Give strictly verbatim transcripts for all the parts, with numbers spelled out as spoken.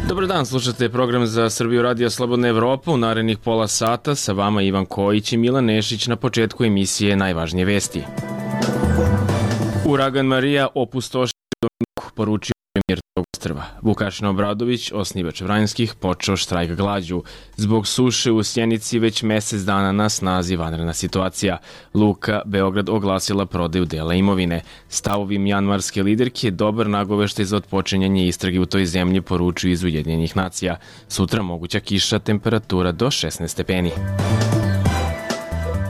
Dobar dan, slušate program za Srbiju Radio Slobodna Evropa. U narednih pola sata sa vama Ivan Kojić i Milan Nešić. Na početku emisije najvažnije vesti. Uragan Marija opustošio Dominiku, poručio premijer tog ostrva. Vukašin Obradović, osnivač Vranjskih, počeo štrajk glađu. Zbog suše u Sjenici već mesec dana na snazi vanredna situacija. Luka Beograd oglasila prodaju dela imovine. Stavovi mjanmarske liderke dobar nagoveštaj za otpočinjanje istrage u toj zemlji, poručuju iz Ujedinjenih nacija. Sutra moguća kiša, temperatura do šesnaest stepeni.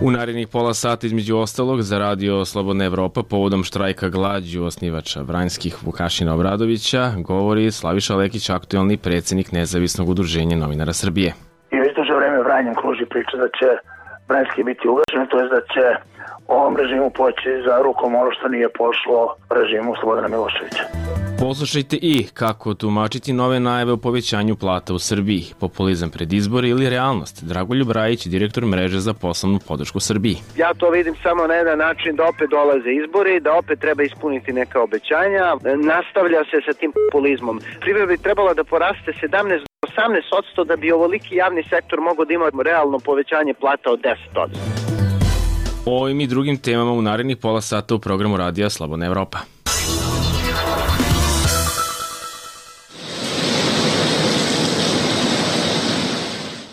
U narednih pola sata, između ostalog, za Radio Slobodna Evropa povodom štrajka glađu osnivača Vranjskih Vukašina Obradovića govori Slaviša Lekić, aktuelni predsjednik Nezavisnog udruženja novinara Srbije. I već duže vreme Vranjem kruži priča da će Vranjski biti ugašen, to je da će ovom režimu poći za rukom ono što nije pošlo režimu Slobodana Miloševića. Poslušajte i kako tumačiti nove najave o povećanju plata u Srbiji, populizam pred izbore ili realnost. Dragoljub Rajić, direktor mreže za poslovnu podršku Srbiji. Ja to vidim samo na jedan način, da opet dolaze izbori, da opet treba ispuniti neka obećanja. Nastavlja se sa tim populizmom. Privreda bi trebala da poraste sedamnaest do osamnaest posto da bi ovoliki javni sektor mogao da ima realno povećanje plata od deset posto. O ovim i drugim temama u narednih pola sata u programu Radija Slobodna Evropa.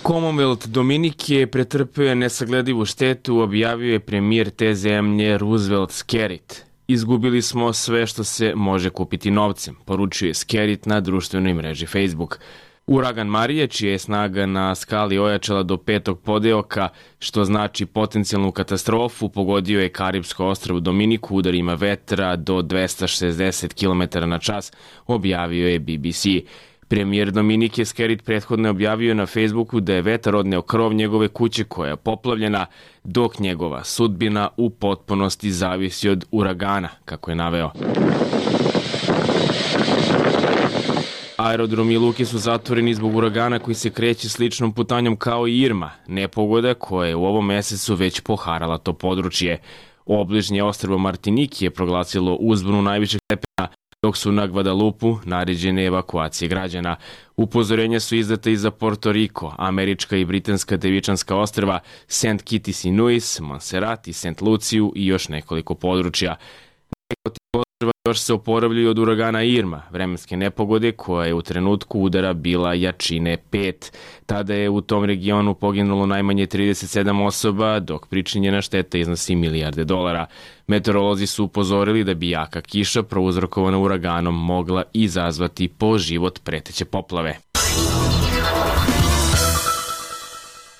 Commonwealth Dominike pretrpeo je nesagledivu štetu, objavio je premijer te zemlje Roosevelt Skerrit. Izgubili smo sve što se može kupiti novcem, poručuje Skerrit na društvenoj mreži Facebook. Uragan Marija, čija je snaga na skali ojačala do petog podeoka, što znači potencijalnu katastrofu, pogodio je Karipsko ostrvo Dominiku udarima vetra do dvesta šezdeset kilometara na čas, objavio je B B C. Premijer Dominike Skerrit prethodno je objavio na Facebooku da je vetar odneo krov njegove kuće koja je poplavljena, dok njegova sudbina u potpunosti zavisi od uragana, kako je naveo. Aerodromi i luke su zatvoreni zbog uragana koji se kreće sličnom putanjom kao i Irma, nepogoda koja je u ovom mesecu već poharala to područje. Obližnje ostrvo Martiniki je proglasilo uzbunu najvišeg stepena, dok su na Guadalupu naređene evakuacije građana. Upozorenja su izdata i za Porto Riko, američka i britanska Devičanska ostrva, Saint Kitts i Nevis, Montserrat i Saint Luciju i još nekoliko područja. Ostrva još se oporavljaju od uragana Irma, vremenske nepogode koja je u trenutku udara bila jačine pet. Tada je u tom regionu poginulo najmanje trideset sedam osoba, dok pričinjena šteta iznosi milijarde dolara. Meteorolozi su upozorili da bi jaka kiša prouzrokovana uraganom mogla izazvati po život preteće poplave.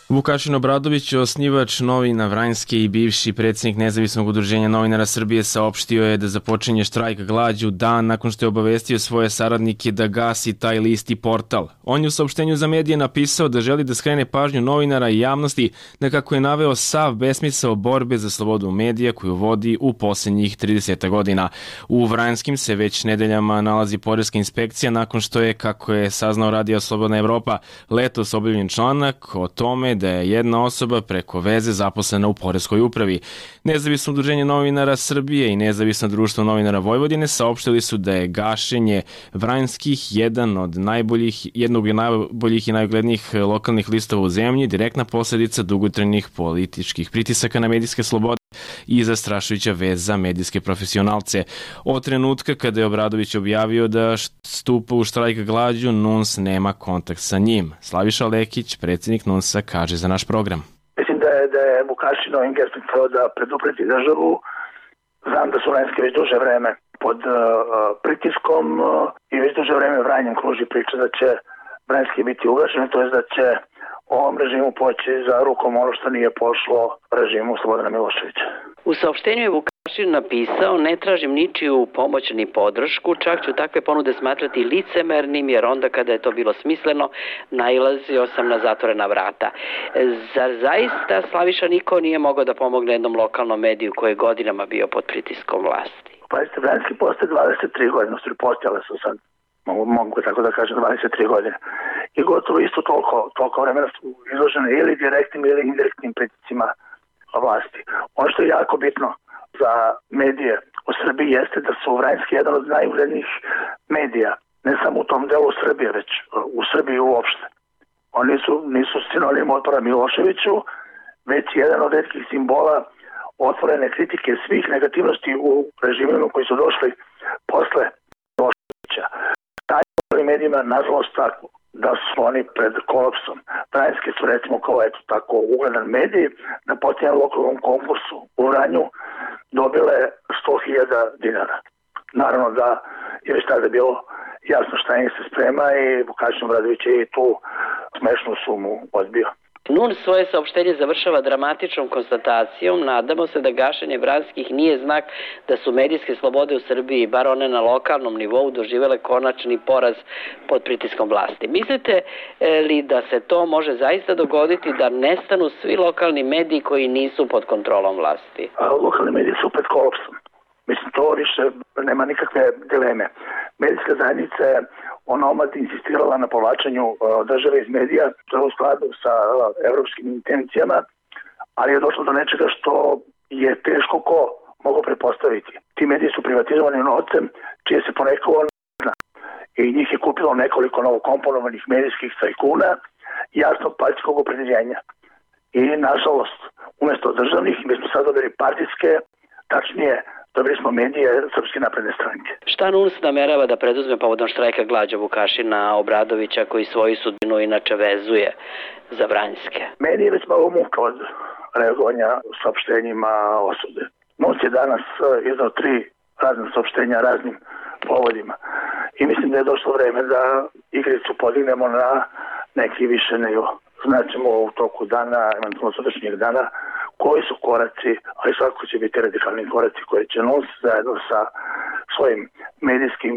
Vukašin Obradović, osnivač novina Vranjske i bivši predsjednik Nezavisnog udruženja novinara Srbije, saopštio je da započinje štrajk glađu dan nakon što je obavestio svoje saradnike da gasi taj list i portal. On je u saopštenju za medije napisao da želi da skrene pažnju novinara i javnosti na, kako je naveo, sav besmisao borbe za slobodu medija koju vodi u posljednjih trideset godina. U Vranjskim se već nedeljama nalazi poreska inspekcija nakon što je, kako je saznao Radio Slobodna Evropa, letos objavljen članak o tome da je jedna osoba preko veze zaposlena u poreskoj upravi. Nezavisno udruženje novinara Srbije i Nezavisno društvo novinara Vojvodine saopštili su da je gašenje Vranjskih jedan od najboljih, jednog od najboljih i najuglednijih lokalnih listova u zemlji, direktna posljedica dugotrajnih političkih pritisaka na medijske slobode i zastrašujuća vez za medijske profesionalce. Od trenutka kada je Obradović objavio da stupa u štrajk glađu, N U N S nema kontakt sa njim. Slaviša Lekić, predsjednik N U N S-a, kaže za naš program. Mislim da je, da je Vukašinov ingerstom htio da predupredi državu. Znam da su Vranjske već duže vreme pod uh, pritiskom uh, i već duže vreme Vranjem kruži priča da će Vranjski biti ugašen, to je da će ovom režimu poći za rukom ono što nije pošlo režimu Slobodana Miloševića. U saopštenju je Vukašin napisao: ne tražim ničiju pomoć ni podršku, čak ću takve ponude smatrati licemernim, jer onda kada je to bilo smisleno, nailazio sam na zatvorena vrata. Zar zaista, Slaviša, niko nije mogao da pomogne jednom lokalnom mediju koji je godinama bio pod pritiskom vlasti? Pazite, Vranjski postoje dvadeset tri godine, su postojale su sad, mogu, mogu tako da kažem, dvadeset tri godine. I gotovo isto toliko, toliko vremena su izložene ili direktnim ili indirektnim pritiscima vlasti. Ono što je jako bitno za medije u Srbiji jeste da su Vranjski jedan od najuglednijih medija ne samo u tom delu Srbije, već u Srbiji uopšte. Oni su, nisu sinonim otpora Miloševiću, već jedan od retkih simbola otvorene kritike svih negativnosti u režimima koji su došli posle Miloševića. Taj u medijima, nažalost, tako da su oni pred kolapsom. Vranjske su, recimo, kao eto tako ugledan medij, na posljednjem lokalnom konkursu u Vranju dobile sto hiljada dinara. Naravno da je već tada bilo jasno šta im se sprema i Vukašin Obradović je i tu smešnu sumu odbio. N U N svoje saopštenje završava dramatičnom konstatacijom. Nadamo se da gašenje Vranjskih nije znak da su medijske slobode u Srbiji, bar one na lokalnom nivou, doživele konačni poraz pod pritiskom vlasti. Mislite li da se to može zaista dogoditi, da nestanu svi lokalni mediji koji nisu pod kontrolom vlasti? A, lokalni mediji su pred kolapsom. Mislim, to više nema nikakve dileme. Medijska zajednica je onomad insistirala na povlačenju uh, države iz medija, to je u skladu sa uh, evropskim intencijama, ali je došlo do nečega što je teško ko mogu pretpostaviti. Ti mediji su privatizovani novcem, čije se ponekao zna. I njih je kupilo nekoliko novokomponovanih medijskih tajkuna i jasnog partijskog opredeljenja. I, nažalost, umjesto državnih, mi smo sad dobili partijske, tačnije, dobili smo medije Srpske napredne stranke. Šta N U N S namerava da preduzme povodom štrajka glađa Vukašina Obradovića, koji svoju sudbinu inače vezuje za Vranjske? Meni je već malo muka od reagovanja saopštenjima osude. N U N S je danas izdao tri razne saopštenja raznim povodima. I mislim da je došlo vreme da igricu podignemo na neki više nivo. Znaćemo u toku dana, eventualno sutrašnjeg dana, koji su koraci, ali svakako će biti radikalni koraci koje će N U N S zajedno sa svojim medijskim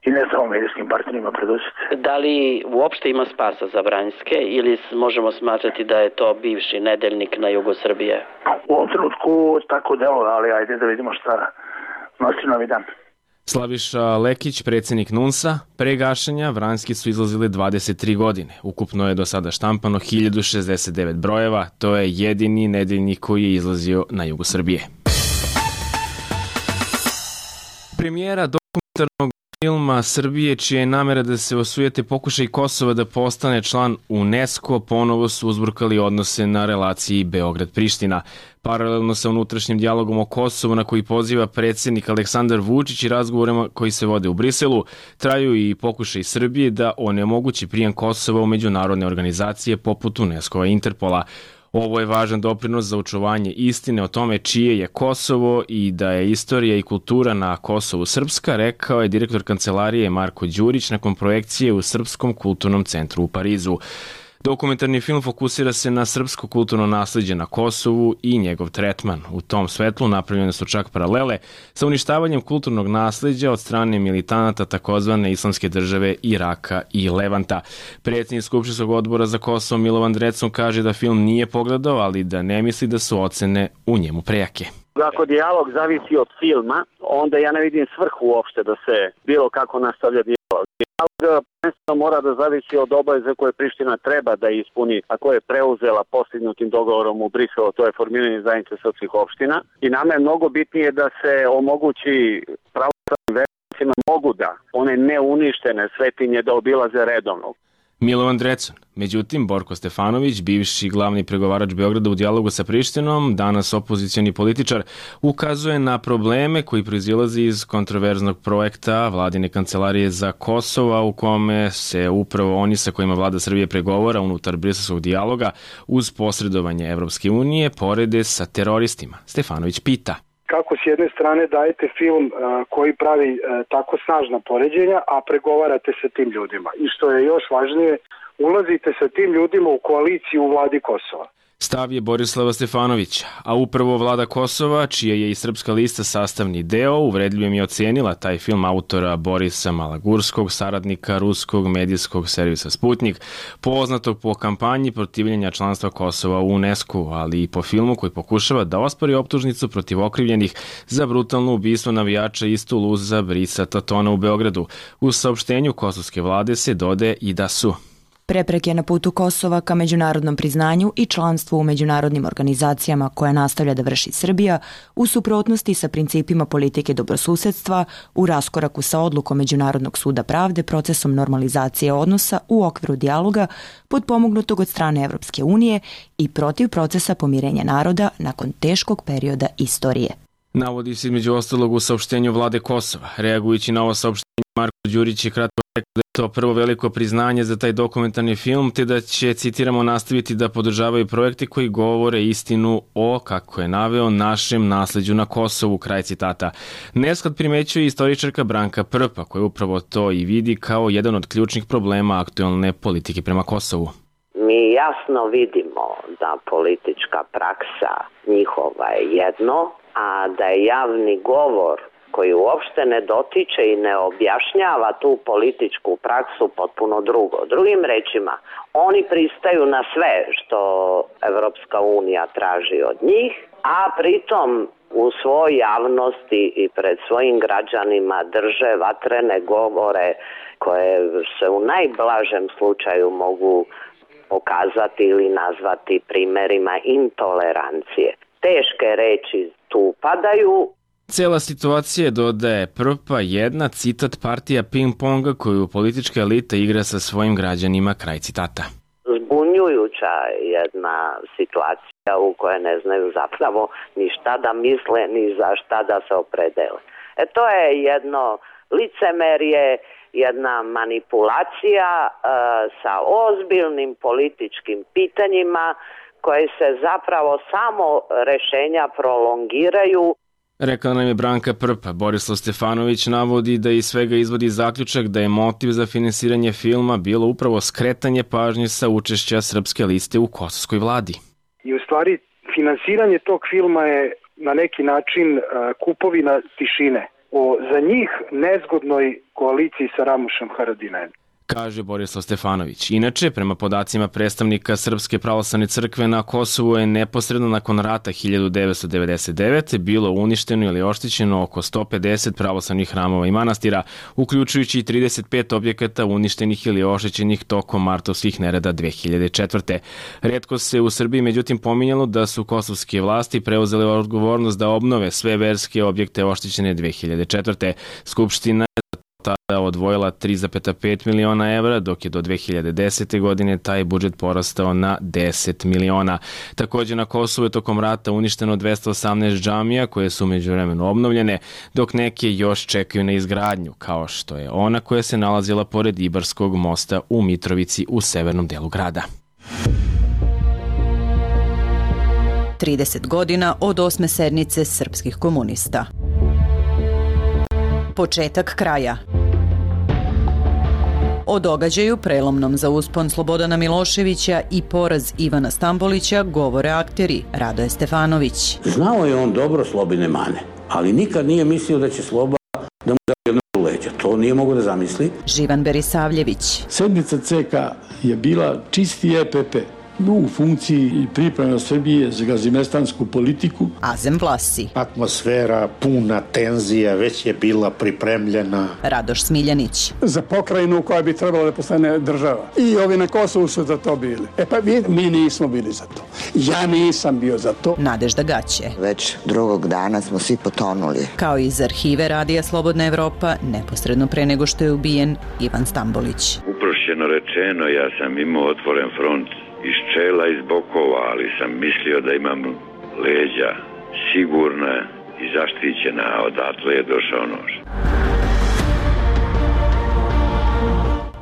i ne samo medijskim partnerima preduzeti. Da li uopšte ima spasa za Vranjske ili možemo smatrati da je to bivši nedeljnik na jugu Srbije? U ovom trenutku tako delo, ali ajde da vidimo šta nosi novi dan. Slaviša Lekić, predsjednik N U N S-a, pre gašenja Vranjski su izlazili dvadeset tri godine. Ukupno je do sada štampano hiljadu šezdeset devet brojeva, to je jedini nedeljnik koji je izlazio na jugu Srbije. Premijera dokumentarnog filma Srbije, čija je namera da se osujete pokušaj Kosova da postane član UNESCO, ponovo su uzburkali odnose na relaciji Beograd-Priština. Paralelno sa unutrašnjim dijalogom o Kosovu na koji poziva predsjednik Aleksandar Vučić i razgovorima koji se vode u Briselu, traju i pokušaj Srbije da onemogući prijem Kosova u međunarodne organizacije poput UNESCO-a i Interpola. Ovo je važan doprinos za očuvanje istine o tome čije je Kosovo i da je istorija i kultura na Kosovu srpska, rekao je direktor kancelarije Marko Đurić nakon projekcije u Srpskom kulturnom centru u Parizu. Dokumentarni film fokusira se na srpsko kulturno nasleđe na Kosovu i njegov tretman. U tom svetlu napravljene su čak paralele sa uništavanjem kulturnog nasleđa od strane militanata takozvane islamske države Iraka i Levanta. Predsjednik Skupštinskog odbora za Kosovo Milovan Drecun kaže da film nije pogledao, ali da ne misli da su ocene u njemu prejake. Ako dijalog zavisi od filma, onda ja ne vidim svrhu uopšte da se bilo kako nastavlja dijalog. Dijalog prvenstveno mora da zavisi od obaveze koje Priština treba da ispuni, a koje je preuzela postignutim dogovorom u Briselu, to je formiranje zajednice srpskih opština. I nama je mnogo bitnije da se omogući pravoslavnim vernicima mogu da one neuništene svetinje da obilaze redovno. Milovan Drecun. Međutim, Borko Stefanović, bivši glavni pregovarač Beograda u dijalogu sa Prištinom, danas opozicioni političar, ukazuje na probleme koji proizilaze iz kontroverznog projekta Vladine kancelarije za Kosova, u kome se upravo oni sa kojima vlada Srbije pregovora unutar briselskog dijaloga uz posredovanje Evropske unije porede sa teroristima. Stefanović pita. Kako s jedne strane dajete film uh, koji pravi uh, tako snažna poređenja, a pregovarate sa tim ljudima. I što je još važnije, ulazite sa tim ljudima u koaliciju u vladi Kosova. Stav je Borislava Stefanovića, a upravo vlada Kosova, čija je i Srpska lista sastavni deo, uvredljivim je ocenila taj film autora Borisa Malagurskog, saradnika ruskog medijskog servisa Sputnik, poznatog po kampanji protivljenja članstva Kosova u UNESCO, ali i po filmu koji pokušava da ospori optužnicu protiv okrivljenih za brutalno ubistvo navijača iz Tuluza Brisa Tatona u Beogradu. U saopštenju kosovske vlade se dodaje i da su Prepreke na putu Kosova ka međunarodnom priznanju i članstvu u međunarodnim organizacijama koje nastavlja da vrši Srbija u suprotnosti sa principima politike dobrosusedstva, u raskoraku sa odlukom Međunarodnog suda pravde procesom normalizacije odnosa u okviru dijaloga potpomognutog od strane Evropske unije i protiv procesa pomirenja naroda nakon teškog perioda istorije. Navodi se između ostalog u saopštenju vlade Kosova. Reagujući na ovo saopštenje, Marko Đurić je kratko rekao da je to prvo veliko priznanje za taj dokumentarni film, te da će, citiramo, nastaviti da podržavaju projekte koji govore istinu o, kako je naveo, našem nasleđu na Kosovu, kraj citata. Nesklad primećuje istoričarka Branka Prpa, koja upravo to i vidi kao jedan od ključnih problema aktuelne politike prema Kosovu. Mi jasno vidimo da politička praksa njihova je jedno, a da je javni govor koji uopšte ne dotiče i ne objašnjava tu političku praksu potpuno drugo. Drugim rečima, oni pristaju na sve što Evropska unija traži od njih, a pritom u svoj javnosti i pred svojim građanima drže vatrene govore koje se u najblažem slučaju mogu pokazati ili nazvati primerima intolerancije. Teške reči tu padaju. Cela situacija, dodaje Prpa, jedna, citat, partija ping-ponga koju politička elita igra sa svojim građanima, kraj citata. Zbunjujuća jedna situacija u kojoj ne znaju zapravo ni šta da misle, ni za šta da se opredele. E to je jedno licemerje, jedna manipulacija e, sa ozbiljnim političkim pitanjima koje se zapravo samo rešenja prolongiraju. Rekla nam je Branka Prpa. Borislav Stefanović navodi da iz svega izvodi zaključak da je motiv za finansiranje filma bilo upravo skretanje pažnje sa učešća Srpske liste u kosovskoj vladi. I u stvari finansiranje tog filma je na neki način kupovina tišine o za njih nezgodnoj koaliciji sa Ramušem Haradinajem, kaže Borislav Stefanović. Inače, prema podacima predstavnika Srpske pravoslavne crkve na Kosovu je neposredno nakon rata hiljadu devetsto devedeset devete bilo uništeno ili oštećeno oko sto pedeset pravoslavnih hramova i manastira, uključujući i trideset pet objekata uništenih ili oštećenih tokom martovskih nereda dve hiljade četvrte. Retko se u Srbiji međutim pominjalo da su kosovske vlasti preuzele odgovornost da obnove sve verske objekte oštećene dve hiljade četvrte. Skupština tada odvojila tri zarez pet miliona evra, dok je do dve hiljade desete. godine taj budžet porastao na deset miliona. Također na Kosovu je tokom rata uništeno dvesta osamnaest džamija koje su međuvremeno obnovljene, dok neke još čekaju na izgradnju, kao što je ona koja se nalazila pored Ibarskog mosta u Mitrovici u severnom delu grada. trideset godina od osme sednice srpskih komunista. Početak kraja. O događaju prelomnom za uspon Slobodana Miloševića i poraz Ivana Stambolića govore akteri Radoje Stefanović. Znao je on dobro Slobine mane, ali nikad nije mislio da će Sloba da mu da jedno leđa. To nije mogo da zamisli. Živan Berisavljević. Sedmica C K je bila čisti E P P. U funkciji i priprema Srbije za gazimestansku politiku. Azem Vlasi. Atmosfera puna tenzija već je bila pripremljena. Radoš Smiljanić. Za pokrajinu koja bi trebala da postane država. I ovi na Kosovu su za to bili. E pa mi, mi nismo bili za to. Ja nisam bio za to. Nadežda Gaće. Već drugog dana smo svi potonuli. Kao iz arhive Radija Slobodna Evropa, neposredno pre nego što je ubijen Ivan Stambolić. Uprošćeno rečeno, ja sam imao otvoren front iz čela, iz bokova, ali sam mislio da imam leđa sigurna i zaštićena, a odatle je došao nož.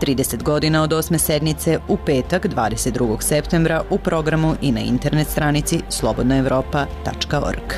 trideset godina od osme sednice u petak dvadeset drugog septembra u programu i na internet stranici slobodna evropa tačka org.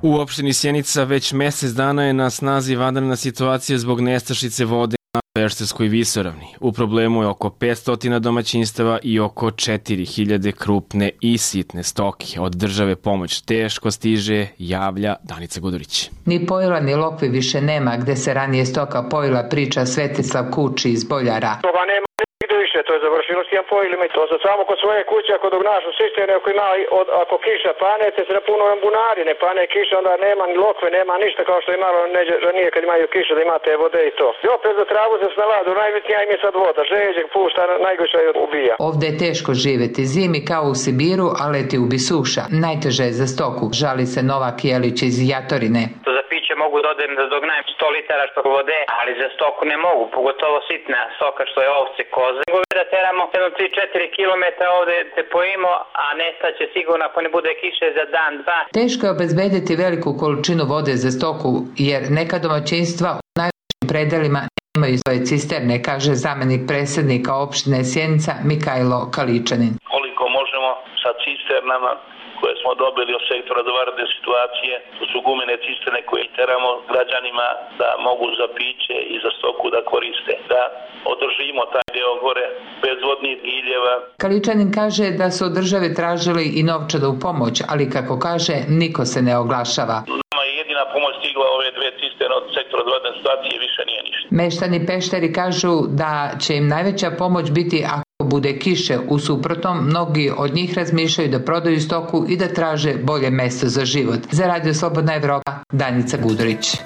U opštini Sjenica već mesec dana je na snazi vanredna situacija zbog nestašice vode na Pešterskoj visoravni. U problemu je oko petsto domaćinstava i oko četiri hiljade krupne i sitne stoke. Od države pomoć teško stiže, javlja Danica Gudurić. Ni pojila ni lokve više nema, gde se ranije stoka pojila, priča Svetislav Kuči iz Boljara. Toga nema nigde više kiše, to je završilo s tijem pojilima. To sad samo kod svoje kuće, ako dok našu sistene, ako ima, od, ako kiša pane, te se napuno bunari, ne pane kiša, onda nema ni lokve, nema ništa kao što je imalo neđe, ranije kad imaju kiše, da imate vode i to. I opet za travu se snaladu, najbitnija im je sad voda, žeđeg pušta, najgorša je ubija. Ovde je teško živeti zimi kao u Sibiru, a leti ubi suša. Najteže je za stoku, žali se Novak Jelić iz Jatorine. Za piće mogu da odem da dognajem sto litara što vode, ali za stoku ne mogu, pogotovo sitna stoka što je ovce, koze. Mogu da teramo jedno tri do četiri kilometra ovde te pojimo, a nestaće sigurno ako ne bude kiše za dan, dva. Teško je obezbediti veliku količinu vode za stoku, jer neka domaćinstva u najvećim predelima nemaju svoje cisterne, kaže zamenik predsednika opštine Sjenica Mikajlo Kaličanin. Koliko možemo sa cisternama koje smo dobili od sektora za vanredne situacije, to su gumene cisterne koje teramo građanima da mogu za piće i za stoku da koriste, da održimo taj deo gore bez vodnih giljeva. Kaličanin kaže da su od države tražili i novčanu pomoć, ali kako kaže, niko se ne oglašava. Nama je jedina pomoć stigla ove dve cisterne od sektora za vanredne situacije, više nije ništa. Meštani Pešteri kažu da će im najveća pomoć biti ako bude kiše, u suprotnom mnogi od njih razmišljaju da prodaju stoku i da traže bolje mesto za život. Za Radio Slobodna Evropa, Danica Gudurić.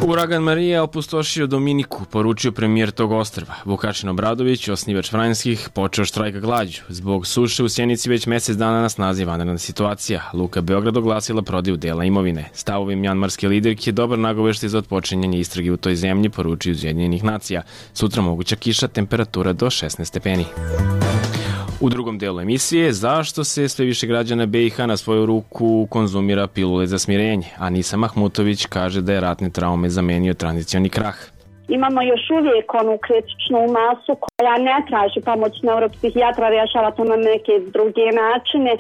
Uragan Marija opustošio Dominiku, poručio premijer tog ostrva. Vukašin Obradović, osnivač Vranjskih, počeo štrajka glađu. Zbog suše u Sjenici već mesec dana na snazi vanredna situacija. Luka Beograd oglasila prodaju dela imovine. Stavovi mjanmarske liderke je dobar nagoveštaj za otpočinjanje istrage u toj zemlji, poručio iz Ujedinjenih nacija. Sutra moguća kiša, temperatura do šesnaest stepeni. U drugom delu emisije, zašto se sve više građana be i ha na svoju ruku konzumira pilule za smirenje, a Nisa Mahmutović kaže da je ratne traume zamenio tranzicioni krah. Imamo još uvijek onu kritičnu masu koja ne traži pomoć neuropsihijatra, rješava to na neke druge načine,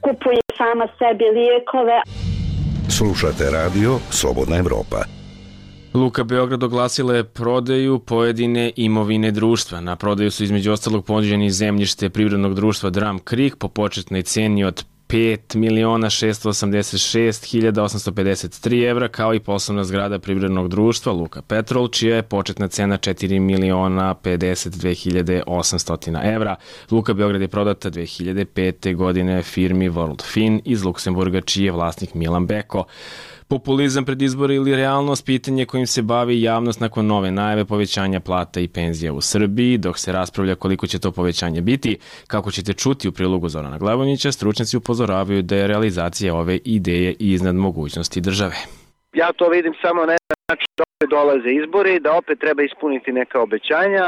kupuje sama sebi lijekove. Slušate radio Slobodna Evropa. Luka Beograd oglasila je prodaju pojedine imovine društva. Na prodaju su između ostalog ponuđeni zemljište privrednog društva Drum Creek po početnoj ceni od pet miliona šesto osamdeset šest hiljada osamsto pedeset tri evra, kao i poslovna zgrada privrednog društva Luka Petrol, čija je početna cena četiri miliona pedeset dve hiljade osamsto evra. Luka Beograd je prodata dve hiljade pete. godine firmi World Fin iz Luksemburga, čiji je vlasnik Milan Beko. Populizam pred izbore ili realnost, pitanje kojim se bavi javnost nakon nove najave povećanja plata i penzija u Srbiji, dok se raspravlja koliko će to povećanje biti. Kako ćete čuti u prilogu Zorana Glavonića, stručnjaci upozoravaju da je realizacija ove ideje iznad mogućnosti države. Ja to vidim samo na način da opet dolaze izbori, da opet treba ispuniti neka obećanja.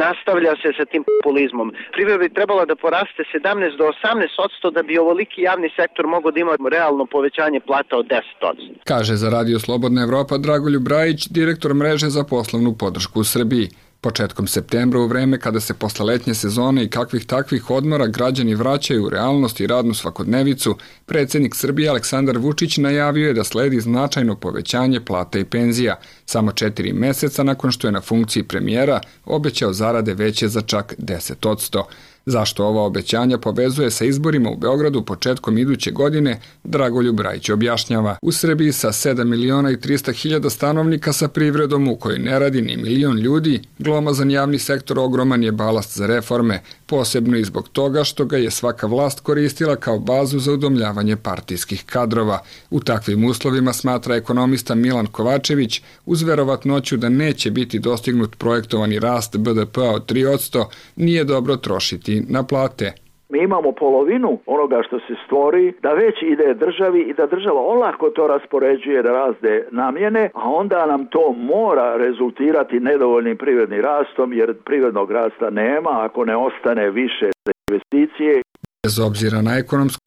Nastavlja se sa tim populizmom. Privredna bi trebala da poraste sedamnaest do osamnaest posto da bi ovoliki javni sektor mogao da ima realno povećanje plata od deset posto. Kaže za Radio Slobodna Evropa Dragoljub Brajić, direktor mreže za poslovnu podršku u Srbiji. Početkom septembra, u vreme kada se posle letnje sezone i kakvih takvih odmora građani vraćaju u realnost i radnu svakodnevicu, predsjednik Srbije Aleksandar Vučić najavio je da sledi značajno povećanje plata i penzija. Samo četiri meseca nakon što je na funkciji premijera obećao zarade veće za čak deset posto. Zašto ova obećanja povezuje sa izborima u Beogradu početkom iduće godine, Dragoljub Brajić objašnjava. U Srbiji sa sedam miliona i trista hiljada stanovnika sa privredom u kojoj ne radi ni milion ljudi, glomazan javni sektor ogroman je balast za reforme, posebno i zbog toga što ga je svaka vlast koristila kao bazu za udomljavanje partijskih kadrova. U takvim uslovima, smatra ekonomista Milan Kovačević, uz verovatnoću da neće biti dostignut projektovani rast be de pea od tri posto, nije dobro trošiti na plate. Mi imamo polovinu onoga što se stvori, da već ide državi i da država olako to raspoređuje na razne namjene, a onda nam to mora rezultirati nedovoljnim privrednim rastom, jer privrednog rasta nema ako ne ostane više za investicije. Bez obzira na ekonomsku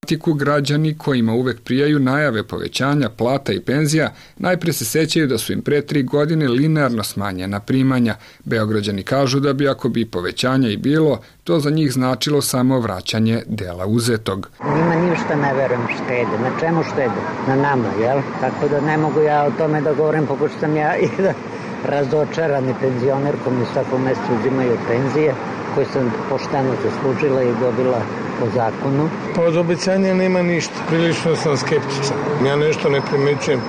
tematiku, građani kojima uvek prijaju najave povećanja plata i penzija najpre se sećaju da su im pre tri godine linearno smanjena primanja. Beograđani kažu da bi ako bi povećanja i bilo, to za njih značilo samo vraćanje dela uzetog. Njima ništa ne verujem štede. Na čemu štede? Na nama, jel? Tako da ne mogu ja o tome da govorim, pošto sam ja i da razočarani penzioner koji mi svako mjesecu uzimaju penzije, koje sam pošteno zaslužila i dobila po zakonu. Pa od obećanja nema ništa. Prilično sam skeptičan. Ja nešto ne primećujem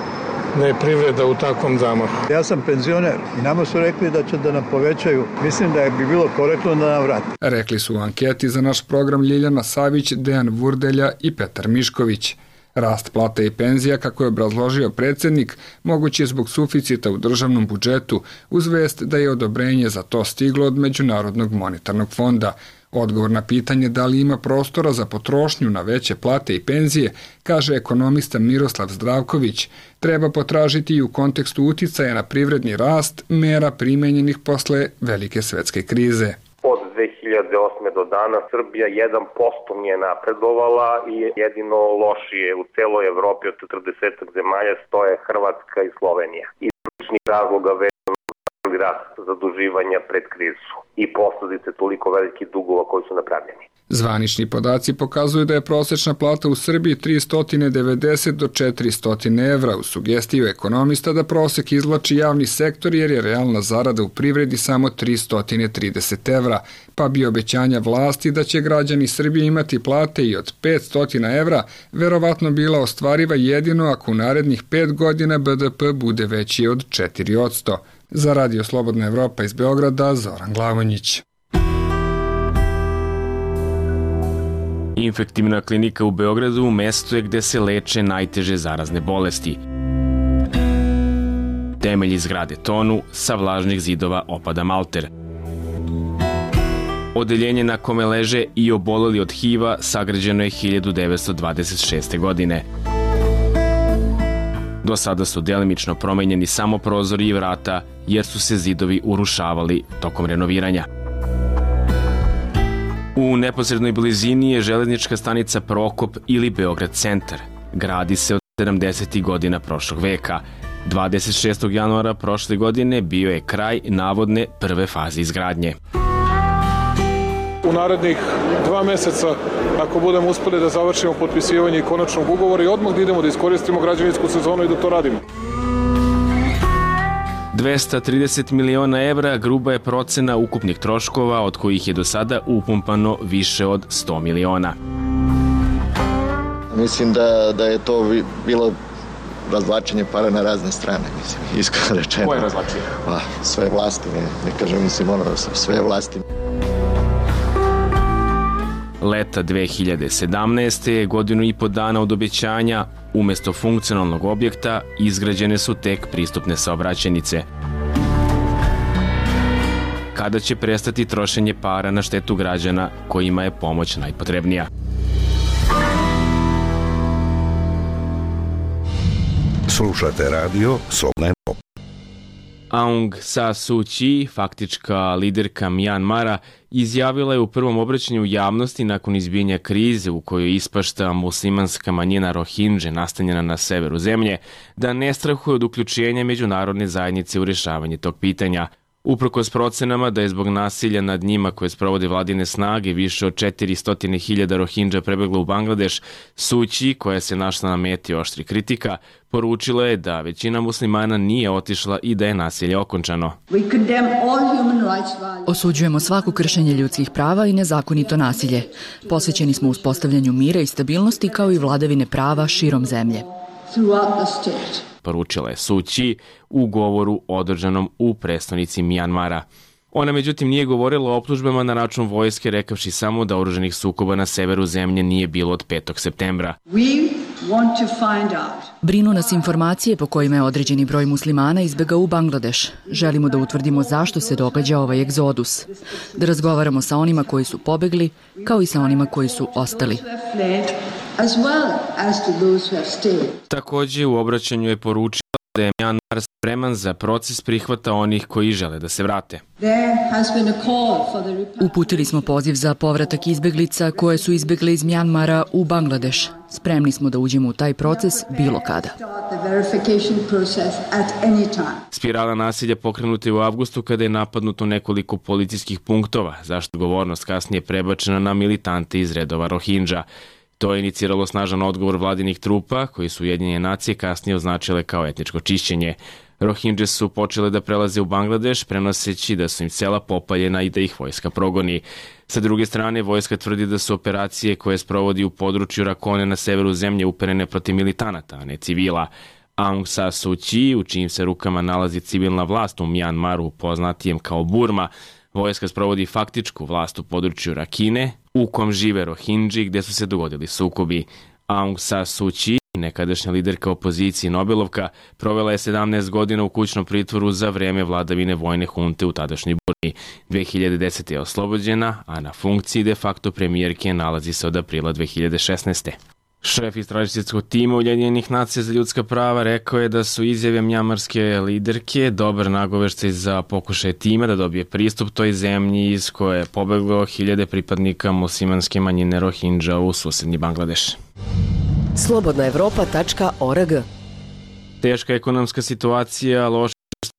da je privreda u takvom zamahu. Ja sam penzioner i nama su rekli da će da nam povećaju. Mislim da bi bilo korektno da nam vrati. Rekli su u anketi za naš program Ljiljana Savić, Dejan Vurdelja i Petar Mišković. Rast plata i penzija, kako je obrazložio predsjednik, mogući je zbog suficita u državnom budžetu, uz vest da je odobrenje za to stiglo od Međunarodnog monetarnog fonda. Odgovor na pitanje da li ima prostora za potrošnju na veće plate i penzije, kaže ekonomista Miroslav Zdravković, treba potražiti i u kontekstu uticaja na privredni rast mera primenjenih posle velike svetske krize. Od dve hiljade osme do dana Srbija jedan posto nije napredovala i jedino lošije u celoj Evropi od četrdeset zemalja stoje Hrvatska i Slovenija. Iz sličnih razloga vezano za rast zaduživanja pred krizu i posledice toliko velikih dugova koji su napravljeni. Zvanični podaci pokazuju da je prosečna plata u Srbiji tristo devedeset do četiristo evra, u sugestiju ekonomista da prosek izvlači javni sektor jer je realna zarada u privredi samo tristo trideset evra, pa bi obećanja vlasti da će građani Srbije imati plate i od petsto evra verovatno bila ostvariva jedino ako u narednih pet godina B D P bude veći od četiri posto. Za Radio Slobodna Evropa iz Beograda, Zoran Glavonjić. Infektivna klinika u Beogradu mesto je gde se leče najteže zarazne bolesti. Temelji zgrade tonu, sa vlažnih zidova opada malter. Odeljenje na kome leže i oboleli od H I V-a sagrađeno je hiljadu devetsto dvadeset šeste. godine. Do sada su delimično promenjeni samo prozori i vrata, jer su se zidovi urušavali tokom renoviranja. U neposrednoj blizini je železnička stanica Prokop ili Beograd centar. Gradi se od sedamdesetih godina prošlog veka. dvadeset šestog januara prošle godine bio je kraj navodne prve faze izgradnje. U narednih dva meseca, ako budemo uspeli da završimo potpisivanje konačnog ugovora i odmah da idemo da iskoristimo građevinsku sezonu i da to radimo. dvesta trideset miliona evra gruba je procena ukupnih troškova, od kojih je do sada upumpano više od sto miliona. Mislim da, da je to bilo razvlačenje para na razne strane, mislim, iskreno rečeno. Koje razvlačenje? Pa, sve vlasti, ne, ne kažem, mislim, ono, sve vlasti. Leta dve hiljade sedamnaeste. je godinu i po dana od obećanja, umesto funkcionalnog objekta izgrađene su tek pristupne saobraćajnice. Kada će prestati trošenje para na štetu građana kojima je pomoć najpotrebnija? Slušate radio Slobodna Evropa. Aung San Suu Kyi, faktička liderka Mjanmara, izjavila je u prvom obraćanju javnosti nakon izbijanja krize u kojoj ispašta muslimanska manjina Rohingje nastanjena na severu zemlje, da ne strahuje od uključenja međunarodne zajednice u rješavanje tog pitanja. Uprkos procenama da je zbog nasilja nad njima koje sprovode vladine snage više od četiristo hiljada Rohingja prebeglo u Bangladeš, Suu Kyi, koja se našla na meti oštri kritika, poručila je da većina muslimana nije otišla i da je nasilje okončano. Osuđujemo svako kršenje ljudskih prava i nezakonito nasilje. Posvećeni smo uspostavljanju mira i stabilnosti kao i vladavine prava širom zemlje. Poručila je Suu Kyi u govoru održanom u prestonici Mjanmara. Ona međutim nije govorila o optužbama na račun vojske, rekavši samo da oružanih sukoba na severu zemlje nije bilo od petog septembra. Brinu nas informacije po kojima je određeni broj muslimana izbegao u Bangladeš. Želimo da utvrdimo zašto se događa ovaj egzodus. Da razgovaramo sa onima koji su pobegli, kao i sa onima koji su ostali. Također u obraćanju je poručila da je Mjanmar spreman za proces prihvata onih koji žele da se vrate. Uputili smo poziv za povratak izbeglica koje su izbegle iz Mjanmara u Bangladeš. Spremni smo da uđemo u taj proces bilo kada. Spirala nasilja pokrenuta je u avgustu kada je napadnuto nekoliko policijskih punktova, zašto odgovornost kasnije prebačena na militante iz redova Rohingja. To je iniciralo snažan odgovor vladinih trupa, koji su Ujedinjene nacije kasnije označile kao etničko čišćenje. Rohingje su počele da prelaze u Bangladeš, prenoseći da su im sela popaljena i da ih vojska progoni. Sa druge strane, vojska tvrdi da su operacije koje sprovodi u području Rakone na severu zemlje uperene protiv militanata, a ne civila. Aung San Suu Kyi, u čijim se rukama nalazi civilna vlast u Mjanmaru, poznatijem kao Burma, vojska sprovodi faktičku vlast u području Rakine, u kom žive Rohingji, gde su se dogodili sukobi. Aung San Suu Kyi, nekadašnja liderka opozicije Nobelovka, provela je sedamnaest godina u kućnom pritvoru za vreme vladavine vojne hunte u tadašnjoj Burmi. dve hiljade desete. je oslobođena, a na funkciji de facto premijerke nalazi se od aprila dve hiljade šesnaeste. Šef istražiteljskog tima Ujedinjenih nacija za ljudska prava rekao je da su izjave mjanmarske liderke dobar nagoveštaj za pokušaj tima da dobije pristup toj zemlji iz koje je pobeglo hiljade pripadnika muslimanske manjine Rohingya u susedni Bangladeš. slobodna evropa tačka org. Teška ekonomska situacija, loše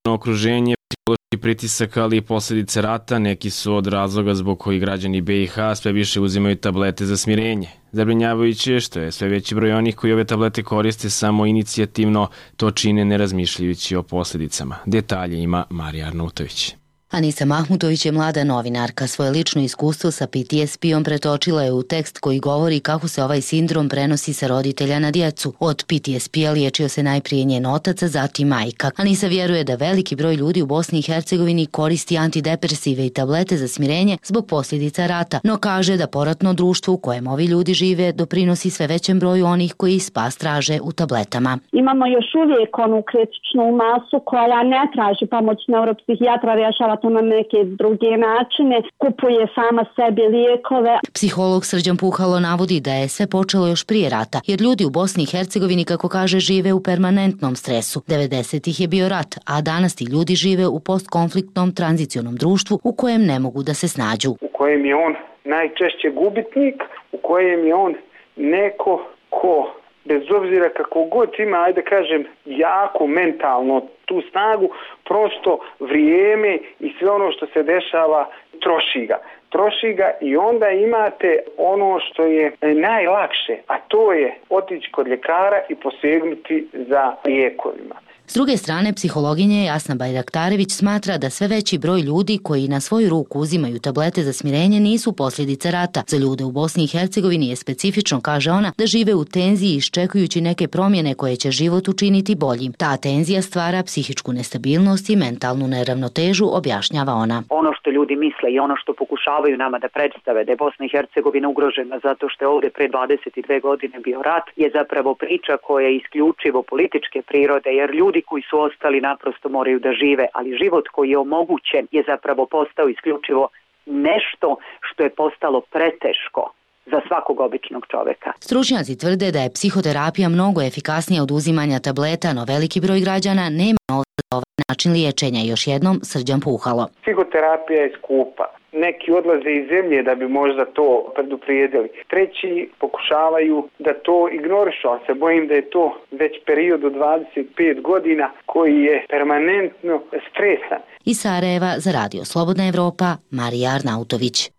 okruženje, psihološki pritisak, ali i posljedice rata, neki su od razloga zbog koji građani be i ha sve više uzimaju tablete za smirenje. Zabrinjavajuće je što je sve veći broj onih koji ove tablete koriste samo inicijativno, to čine ne razmišljajući o posljedicama. Detalje ima Marija Arnautović. Anisa Mahmutović je mlada novinarka. Svoje lično iskustvo sa P T S P-om pretočila je u tekst koji govori kako se ovaj sindrom prenosi sa roditelja na djecu. Od P T S P-a liječio se najprije njen otac, a zatim majka. Anisa vjeruje da veliki broj ljudi u Bosni i Hercegovini koristi antidepresive i tablete za smirenje zbog posljedica rata, no kaže da poratno društvo u kojem ovi ljudi žive doprinosi sve većem broju onih koji spas traže u tabletama. Imamo još uvijek onu kritičnu masu koja ne traži pomoć neuropsihijatra, rješava to na neke druge načine, kupuje sama sebi lijekove. Psiholog Srđan Puhalo navodi da je sve počelo još prije rata, jer ljudi u Bosni i Hercegovini, kako kaže, žive u permanentnom stresu. devedesetih je bio rat, a danas ti ljudi žive u postkonfliktnom tranzicionom društvu u kojem ne mogu da se snađu. U kojem je on najčešće gubitnik, u kojem je on neko ko, bez obzira kako god ima, ajde kažem, jako mentalno tu snagu, prosto vrijeme i sve ono što se dešava troši ga. Troši ga i onda imate ono što je najlakše, a to je otići kod ljekara i posegnuti za lijekovima. S druge strane, psihologinja Jasna Bajraktarević smatra da sve veći broj ljudi koji na svoju ruku uzimaju tablete za smirenje nisu posljedice rata. Za ljude u Bosni i Hercegovini je specifično, kaže ona, da žive u tenziji iščekujući neke promjene koje će život učiniti boljim. Ta tenzija stvara psihičku nestabilnost i mentalnu neravnotežu, objašnjava ona. Ono što ljudi misle i ono što pokušavaju nama da predstave da je Bosna i Hercegovina ugrožena zato što je ovdje pre dvadeset dve godine bio rat, je zapravo priča koja je isključivo političke prirode, jer ljudi koji su ostali naprosto moraju da žive, ali život koji je omogućen je zapravo postao isključivo nešto što je postalo preteško za svakog običnog čoveka. Stručnjaci tvrde da je psihoterapija mnogo efikasnija od uzimanja tableta, no veliki broj građana nema novca za ovaj način liječenja. Još jednom Srđan Puhalo. Psihoterapija je skupa. Neki odlaze iz zemlje da bi možda to preduprijedili. Treći pokušavaju da to ignorišu, ali se bojim da je to već period od dvadeset pet godina koji je permanentno stresan. Iz Sarajeva za Radio Slobodna Evropa, Marija Arnautović.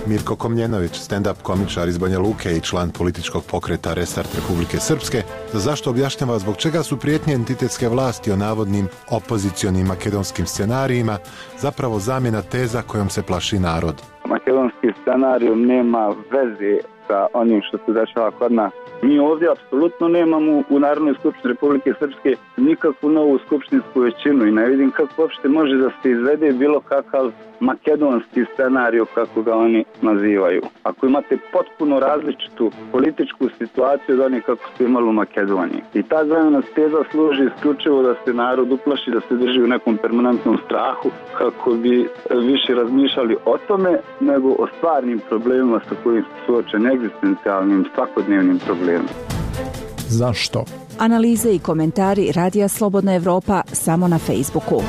Mirko Komljenović, stand-up komičar iz Banja Luke i član političkog pokreta Restart Republike Srpske, za zašto objašnjava zbog čega su prijetnje entitetske vlasti o navodnim opozicionim makedonskim scenarijima zapravo zamjena teza kojom se plaši narod. Makedonski scenarij nema veze sa onim što se dešava kod nas. Mi ovdje apsolutno nemamo u Narodnoj skupštini Republike Srpske nikakvu novu skupštinsku većinu i ne vidim kako uopšte može da se izvede bilo kakav makedonski scenarij, kako ga oni nazivaju. Ako imate potpuno različitu političku situaciju od onih kako ste imali u Makedoniji. I ta zamjena teza služi isključivo da se narod uplaši, da se drži u nekom permanentnom strahu, kako bi više razmišljali o tome nego o stvarnim problemima sa kojim su suočeni, egzistencijalnim, svakodnevnim problemima. Zašto? Analize i komentari Radija Slobodna Evropa samo na Facebooku.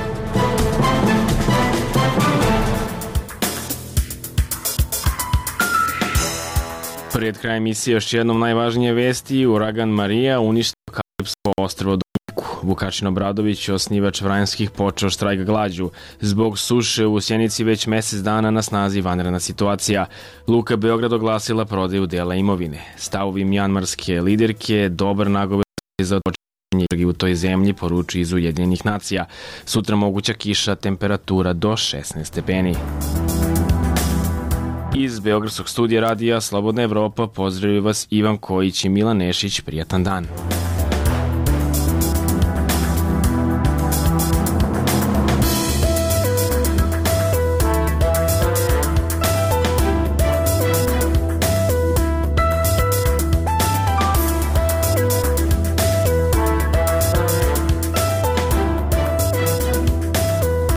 Pred kraj emisije još jednom najvažnije vesti. Uragan Marija uništio Kalipsko ostrvo Dominiku. Vukašin Obradović, osnivač Vranjskih, počeo štrajk glađu. Zbog suše u Sjenici već mjesec dana na snazi vanredna situacija. Luka Beograd oglasila prodaju dela imovine. Stavovi mjanmarske liderke dobar nagoveštaj za očekivanje u toj zemlji, poručuje iz Ujedinjenih nacija. Sutra moguća kiša, temperatura do šesnaest stepeni. Iz Beogradskog studija Radija Slobodna Evropa pozdravljaju vas Ivan Kojić i Milan Nešić. Prijatan dan.